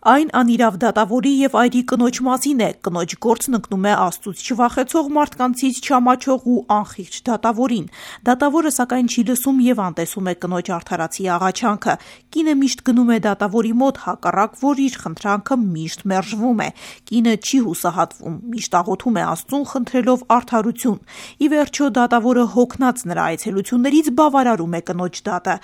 Այն անիրավ դատավորի եւ այրի կնոջ մասին է, կնոջ գործն ընկնում է Աստծուց չվախեցող մարդկանցից չամաչող ու անխիղճ դատավորին։ Դատավորը սակայն չի լսում եւ անտեսում է կնոջ արդարացի աղաչանքը։ Կինը միշտ գնում է դատավորի մոտ, հակառակ որ իր խնդրանքը միշտ մերժվում է։ Կինը չի հուսահատվում, միշտ աղոթում է Աստծուն, խնդրելով արդարություն։ Ի վերջո դատավորը հոգնած նրա այցելություններից բավարարում է կնոջ դատը։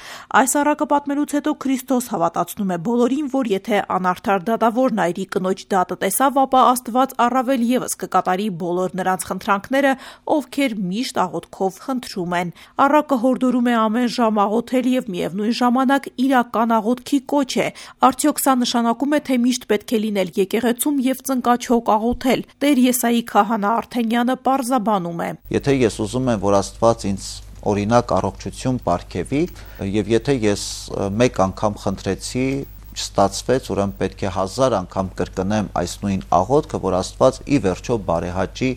Այս առակը պատմելուց հետո Քրիստոս հավատացնում է բոլորին, որ եթե անարդար դատավորն այրի կնոջ դատը տեսավ, ապա Աստված առավել եւս կկատարի բոլոր նրանց խնդրանքները, ովքեր միշտ աղոթքով խնդրում են։ Առակը հորդորում է ամեն ժամ աղոթել եւ միևնույն ժամանակ իրական աղոթքի կոչ է։ Արդյոք սա նշանակում է, թե միշտ պետք է լինել եկեղեցում եւ ծնկաչոք աղոթել։ Տեր Եսայի քահանա Արթենյանը պարզաբանում է. Եթե ես ուզում եմ, որ Աստված ինձ օրինակ առողջություն պարգևի, եւ եթե ես մեկ անգամ խնդրեցի, չստացվեց, ուրեմն պետք է 1000 անգամ կրկնեմ այս նույն աղոթքը, որ Աստված ի վերջո բարեհաճի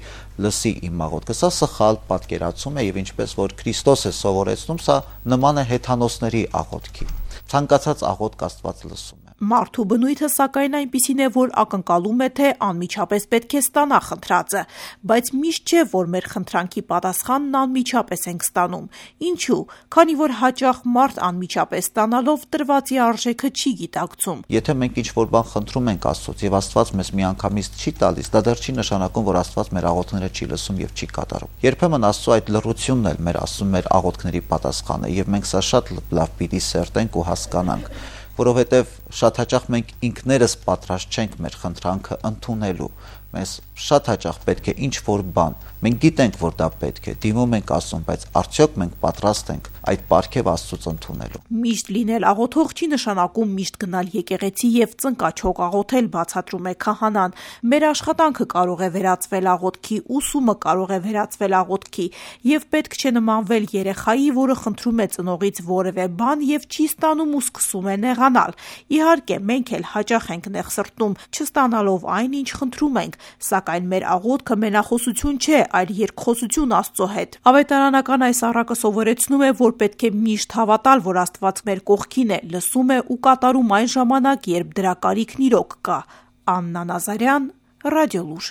լսի իմ աղոթքը։ Սա սխալ պատկերացում է եւ ինչպես որ Քրիստոս է սովորեցնում, սա նման է հեթանոսների աղոթքի։ Ցանկացած աղոթք Աստված լսում է։ Մարդու բնույթը սակայն այնպիսին է, որ ակնկալում է, թե անմիջապես պետք է ստանա խնդրածը, բայց միշտ չէ, որ մեր խնդրանքի պատասխանն անմիջապես ենք ստանում։ Ինչու՞։ Քանի որ հաճախ մարդ անմիջապես ստանալով տրվածի արժեքը չի գիտակցում։ Եթե մենք ինչ-որ բան խնդրում ենք Աստծուց եւ Աստված մեզ միանգամից չի տալիս, դա դեռ չի նշանակում, որ Աստված մեր աղոթքները չի լսում եւ չի կատարում։ Երբեմն Աստծո այդ լռությունն էլ մեր ասում մեր աղոթքների պատասխանը եւ մենք սա շատ լավ պիտի սերտենք ու հասկանանք, որովհետեւ շատ հաճախ մենք ինքներս պատրաստ չենք մեր խնդրանքը ընդունելու։ Մեզ շատ հաճախ պետք է ինչ-որ բան, մենք գիտենք, որ դա պետք է, դիմում ենք Աստծուն, բայց արդյոք մենք պատրաստ ենք այդ պարգև Աստծուց ընդունելու։ Միշտ լինել աղոթող չի նշանակում միշտ գնալ եկեղեցի եւ ծնկաչոք աղոթել, բացատրում է քահանան։ Մեր աշխատանքը կարող է վերածվել աղոթքի, ուսումը կարող է վերածվել աղոթքի, եւ պետք չէ նմանվել երեխայի, որը խնդրում է ծնողից որևէ բան եւ չի ստանում ու սկսում է նեղանալ։ Իհարկե, մենք էլ հաճախ ենք նեղսրտում, չստանալով այն, ինչ խնդրում ենք, սակայն մեր աղոթքը մենախոսություն չէ, այլ երկխոսություն Աստծո հետ։ Ավետարանական այս առակը սովորեցնում է, որ պետք է միշտ հավատալ, որ Աստված մեր կողքին է, լսում է ու կատարում այն ժամանակ, երբ դրա կարիքն իրոք կա։ Աննա Նազարյան, Ռադիոլուր։